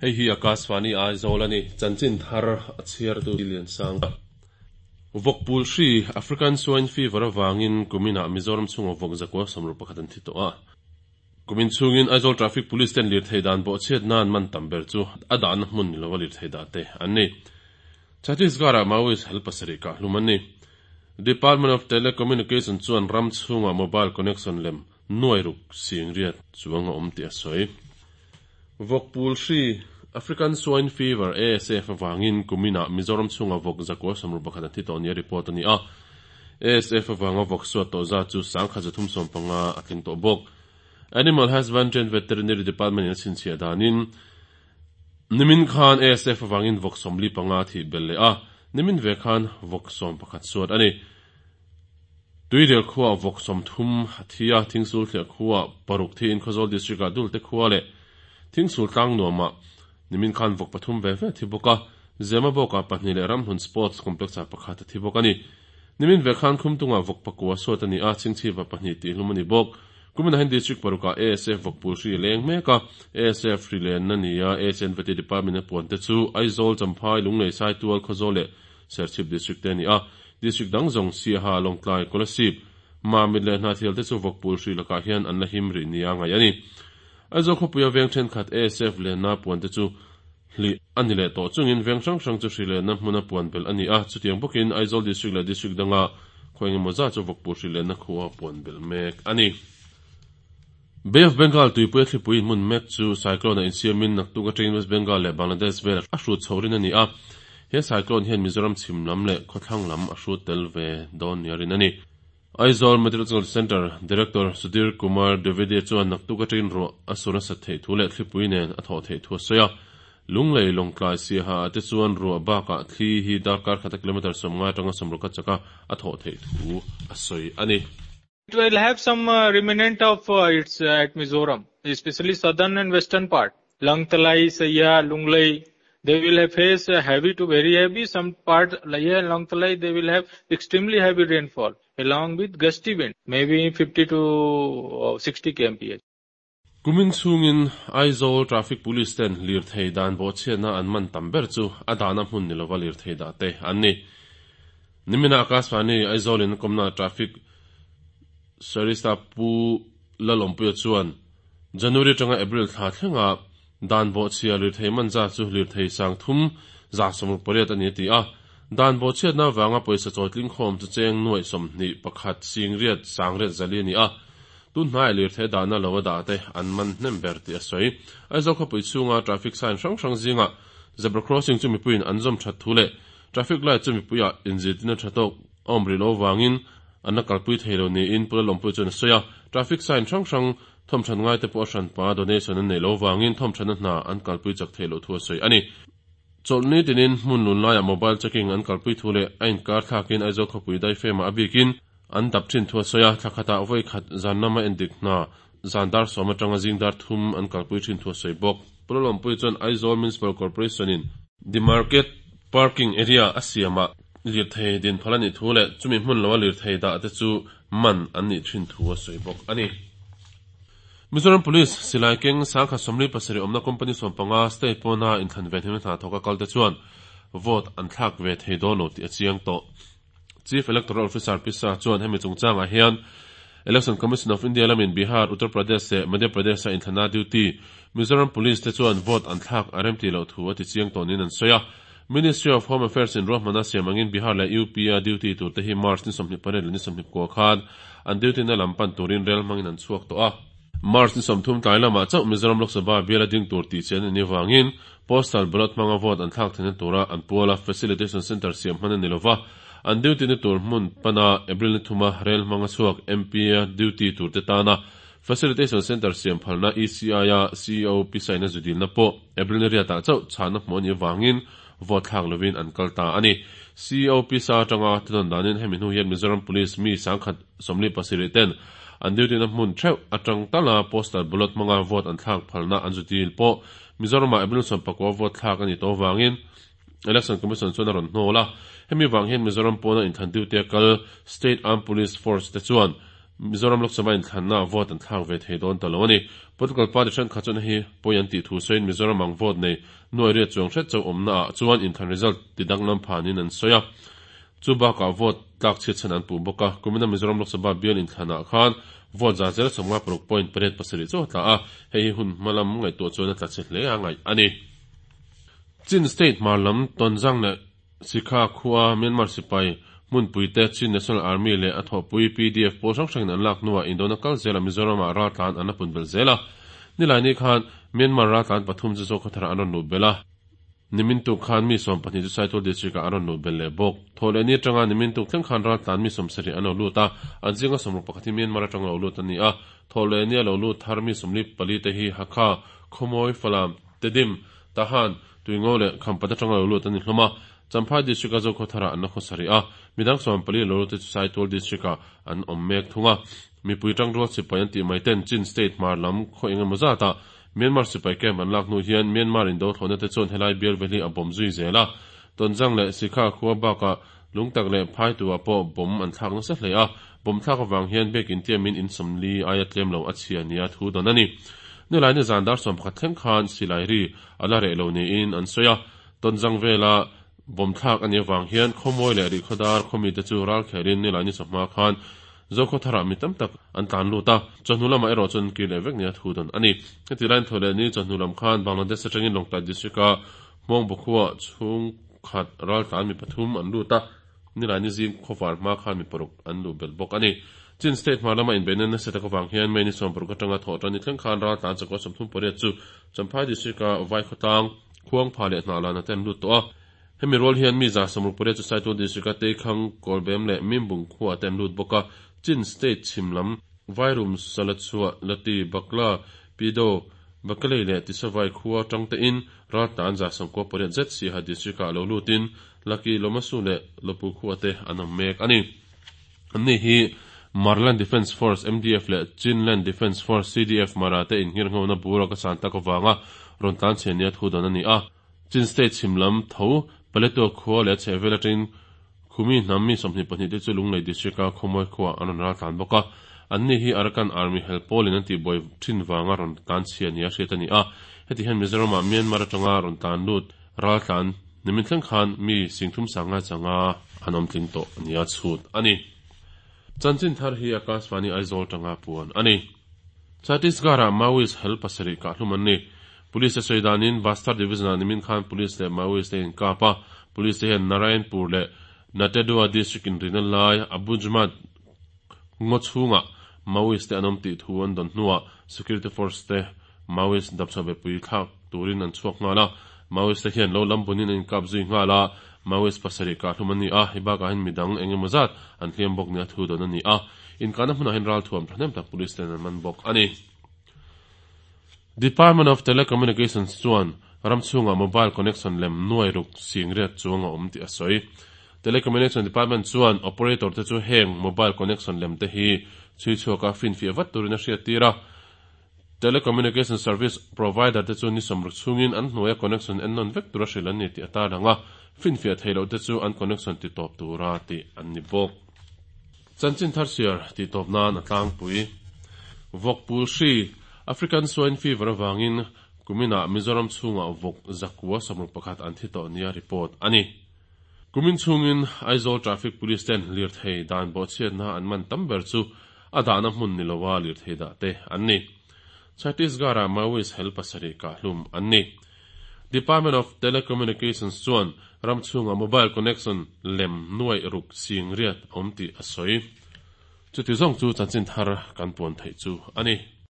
Hei hi Akashvani Aizawl a ni. Chanchin thar a chhiartu Liansang. Vawkpul hri, African Swine Fever, avangin kuminah Mizoram chhunga vawk 161 an thi tawh a. Kumin chhungin Aizawl Traffic Police ten lirthei dan bawhchhiat nan man tam ber chu a dahna hmun ni lova lirthei dah te an ni. Chhattisgarh-ah Maoist hel pasarih kah hlum an ni. Department of Telecommunication chuan ram chhungah mobile connection lem nuai ruk sing riat chuang a awm tih a sawi. Vawkpul hri, African Swine Fever, ASF, avangin kuminah Mizoram chhungah vawk 161 an thi tawh nia report a ni a. ASF avanga vawk suat tawh zat chu 1350 a tling tawh bawk. Animal Husbandry and Veterinary Department in a chhinchhiah danin nimin khan ASF avangin vawk 45 thih belh leh a, nimin ve khan vawk 11 suat a ni. Tuirial khuaah vawk 30 a thi a, Thingsul thliah khuaah paruk thiin Khawzawl District-ah Dulte khua leh Thingsul tlang nuamah nimin khan vawk pathum ve ve a thi bawk a, Zemabawkah pahnih leh Ramhlun Sports Complex-ah pakhat a thi bawk a ni. Nimin ve khan Khumtungah vawk pakua suat a ni a, Chhingchhipa pahnih tihhlum a ni bawk. Kumin ahin District parukah ASF vawkpul hri a leng mek a, ASF hri lenna nia ASNVT Department a puan te chu Aizawl, Champhai, Lunglei, Saitual, Khawzawl leh Serchhip District te a ni a. District dang zawng Siaha, Lawngtlai, Kolasib, Mamit leh Hnahthial te chu vawkpul hri lakah hian an la him rih nia ngaih a ni. Aizawl khawpuia veng thenkhat ASF lenna puan te chu hlih a ni leh tawh chungin veng hrang hrang chu hri lenna hmuna puan belh a ni a, chutiang bawkin Aizawl District leh District danga khaw engemaw zat chu vawkpul hri lenna khua puan belh mek a ni. Bay of Bengal tuipuia thlipui inhmun mek chu cyclone a insiamin naktuk atangin West Bengal leh Bangladesh vel a hrut chho rin a ni a, he cyclone hian Mizoram chhim lam leh khawthlang lam a hrut tel ve dawn nia rin a ni. Aizawl Meteorological Centre Director Sudhir Kumar Dwivedi chuan naktuk atangin ruah a sur nasat theih thu leh thlipui nen a thawh theih thu a sawi a. Lunglei Lawngtlai Siaha ah te chuan ruah bakah thli hi darkar khata kilometre 50 atanga 60 a chaka a thawh theih thu a sawi a ni. It will have some remnant of its at Mizoram, especially southern and western part. Lawngtlai, Siaha, Lunglei, they will have face heavy to very heavy. Some part, Laiya and Lawngtlai, they will have extremely heavy rainfall along with gusty wind, maybe 50 to 60 kmph. Kumin chhungin Aizawl Traffic Police ten lirthei dan bawhchhiatna an man tam ber chu a dahna hmun ni lova lirthei dah te an ni. Nimina Akashvani Aizawl in kawmna Traffic Sarista Pu Lalawmpuia chuan January atanga April thla thlenga dan bawhchhia lirthei man zat chu lirthei 368 a ni a ti a. Dan bawhchhiatna avanga pawisa chawitling khawm chu cheng nuaih 21 singriat sangriat zali a ni a. Tun hnaiah lirthei dahna lo a dah te an man hnem ber tih a sawi. Aizawl khawpui chhunga traffic sign hrang hrang zingah zebra crossing chu mipuiin an zawm that thu leh traffic light chu mipuiah inzirtirna tha tawk a awm rih loh avangin an la kalpui thei lo niin Pu Lalawmpuia chuan a sawi a. Traffic sign hrang hrang thawmthan ngaite pawh a hranpa donation an neih loh avangin thawmthanna hna an kalpui chak theih loh thu a sawi a ni. Chawlhni tinin hmun lun laiah mobile checking an kalpui thu leh a inkar thlakin Aizawl khawpui daifemah a bikin An dap thin thu a sawi a, thla khatah vawi khat zan lama endik hna zan dar sawm atanga zing dar thum an kalpui thin thu a sawi bawk. Pu Lalawmpuii chuan Aizawl Municipal Corporation-in Demarket Parking Area a siamah lirthei din phal a nih thu leh chumi hmun loa lirthei dah te chu man an nih thin thu a sawi bawk a ni. Mizoram Police silai keng 1047 awmna company 15 state pawna inthlan ve hnem hna thawka kalte chuan vote an thlak ve thei dawn lo tih a chiang tawh. Chief Electoral Officer Pisa chuan hemi chungchangah hian Election Commission of India lamin Bihar, Uttar Pradesh leh Madhya Pradesh-a inthlana duty Mizoram Police te chuan vote an thlak a remti loh thu a ti chiang tawh niin an sawi a. Ministry of Home Affairs in ruahmana siam angin Bihar leh UP-a duty tur te hi March ni 28 leh ni 29 khan an duty na lam pan turin rel hmangin an chhuak tawh a. March ni 30 tlai lamah chauh Mizoram Lok Sabha biala ding tur tih chian a nih avangin Postal ballot hmanga vote an thlak theihna tura an puala Facilitation Centre siam hman a ni lova, an duty na tur hmun pana April ni thuma rel hmanga chhuak MP-a duty turte tana Facilitation Centre siam phalna ECI-a CEO pisaina zu dilna pawh April ni riatah chauh chhahna hmuh a nih avangin vote thlak lovin an kal ta a ni. CEO pisa atanga thunawn danin hemi hnu hian Mizoram Police mi 1047 ten an duty na hmun theuh atang tala postal ballot hmanga vote an thlak phalna an zu dil pawh Mizoramah April 19 vote thlak a nih tawh avangin Election Commission chuan a rawn hnawl a. Hemi vang hian Mizoram pawna inthlan duty a kal State Armed Police Force te chuan Mizoram Lok Sabha inthlanna vote an thlak ve thei dawn ta lo a ni. Political party thenkhat chuan hei pawi an tih thu sawiin Mizoram ang vote nei nuai riat chuang hret chauh awmna ah chuan inthlan result ti danglam phanin an sawi a. Chu bakah vote tlak chhiat chhan an puh bawk a. Kumina Mizoram Lok Sabha bial inthlanah khan vote za zel 56 point 87 chauh a tla a, hei hi hun hma lam ngaihtuah chuan a tla chhe hle a ngaih a ni. Chin State hmar lam Tonzang leh Sikha khua Myanmar sipai hmunpuite Chin National Army leh a thawhpui pdf pawl hrang hrangin an lak hnuah indona kal zelah Mizoramah raltlan an la pun belh zel a. Nilaini khan Myanmar raltlan pathum chu Zokhawthar-ah an rawn luh belh a. Nimin tuk khan mi 12 chu Saitual District-ah an rawn luh belh leh bawk. Thawhlehni atanga nimin tuk thleng khan raltlan mi 70 an lo lut a, an zinga 61 hi Myanmar atanga lo lut a ni a. Thawhlehni a lo lut thar mi 44 te hi Hakha, Khawmawi, Falam, Tedim, Tahan, Tuingo leh Khampat atanga lo lut an ni hlawm a, Champhai District-a Zokhawthar-ah an la khawsa rih a, midang 14 lo lut te chu Saitual District-ah an awm mek thung a. Mipui tangrual sipai an tih mai ten Chin State hmar lam khaw eng emaw zatah Myanmar sipai camp an lak hnu hian Myanmar indo thlawhna te chuan helai bial veli a bawm zui zel a, Tonzang leh Sikha khua bakah Lungtak leh Phaitu-ah pawh bomb an thlak nasa hle a, bomb thlak avang hian biakin tiamin in 40 aia tlem lo a chhia nia thu dawn a ni. Nilai ni zan dar 11 thleng khan silai ri a la reh lo niin an sawi a, Tonzang vela bomb thlak a nih avang hian Khawmawi leh Rihkhawdar khawmite chu ral khelin nilai ni chawhma khan Zokhawtharah mi tam tak an tlan lut a, chawhnu lamah erawh chuan an kir leh vek nia thu dawn a ni. Heti laiin thaw leh ni chawhnu lam khan Bangladesh atangin Lawngtlai District-a Hmawngbukhua chhung khat raltlan mi pathum an lut a, nilai ni zing khawvar hma khan mi paruk an luh belh bawk a ni. Chin State hmar lama inbeihna nasa tak avang hian May ni 60 atanga thawh tan ni thleng khan raltlan chakua 38 chu Champhai District-a Vaikhawtlang, Khuangpha leh Hnahlan ate an lut tawh a. Hemi rual hian mi 60 chu Saitual District-a Teikhang, Kawlbem leh Mimbung khua te an lut bawk a. Chin State chhim lam, Vairum, Salachhuah, Lati, Bakla, Pido, Bakalei leh Tisavai khua atang tein raltlan 98 zet Siaha District-ah lo lutin Laki, Lomasu leh Lopu khua te an awm mek a ni. Anni hi Marland Defence Force, MDF, leh Chinland Defence Force, CDF, Mara te inngirnghona bura ka san tak avanga rawn tlan chhe nia thu dawn a ni a. Chin State chhim lam tho Paletwa khua leh a chhehvel atangin Khumi hnam mi 22 te chu Lunglei District-a Khawmawi khuaah an rawn ral tlan bawk a. Anni hi Arakan Army hel pawlin an tihbuai thin vanga rawn tlan chhia nia hriat a ni a. Heti hian Mizoramah Myanmar atanga rawn tlan lut ral tlan nimin thleng khan mi singthum sanga changa an awm tling tawh nia chhut a ni. Chanchin thar hi Akashvani Aizawl tanga puan a ni. Chhattisgarh-ah Maoist hel pasarih kahhlum an ni. Police te sawi danin Bastar Division-ah nimin khan Police leh Maoist te inkap a, Police te hian Narayanpur leh Natedua District inrina lai Abujhmad ngaw chhungah Maoist te an awm tih thu an dawn hnuah Security Force te Maoist dapchhuah bepui thlak turin an chhuak nghal a, Maoist te hian lo lam bunin an inkap zui nghal a, Maoist pasarih kahhlum an ni a, hei bakah hian midang eng emaw zat an hliam bawk nia thu dawn a ni a, inkahna hmunah hian ralthuam thahnem tak Police ten an man bawk a ni. Department of Telecommunications chuan ram chhungah mobile connection lem nuai ruk sing riat chuang a awm tih a sawi. Telecommunication Department chuan operator te chu heng mobile connection lem te hi chhui chhuaka finfiah vat turin a hriattir a. Telecommunication service provider te chu ni 60 chhungin an hnuaia connection en nawn vek tura hrilh an ni tih a tarlang a, finfiah theih loh te chu an connection ti tawp tura tih an ni bawk. Chanchin thar chhiar tih tawp nan a tlangpui. Vawk pul hri, African Swine Fever avangin kuminah Mizoram chhungah vawk zakua 61 an thi tawh nia report a ni. Kumin chhungin Aizawl Traffic Police ten lirthei dan bawhchhiatna an man tam ber chu a dahna hmun ni loa lirthei dah te an ni. Chhattisgarh-ah Maoist hel pasarih kahhlum an ni. Department of Telecommunications chuan ram chhungah mobile connection lem nuaih ruk sing riat a awm tih a sawi. Chuti zawng chu chanchin thar kan puan theih chu a ni.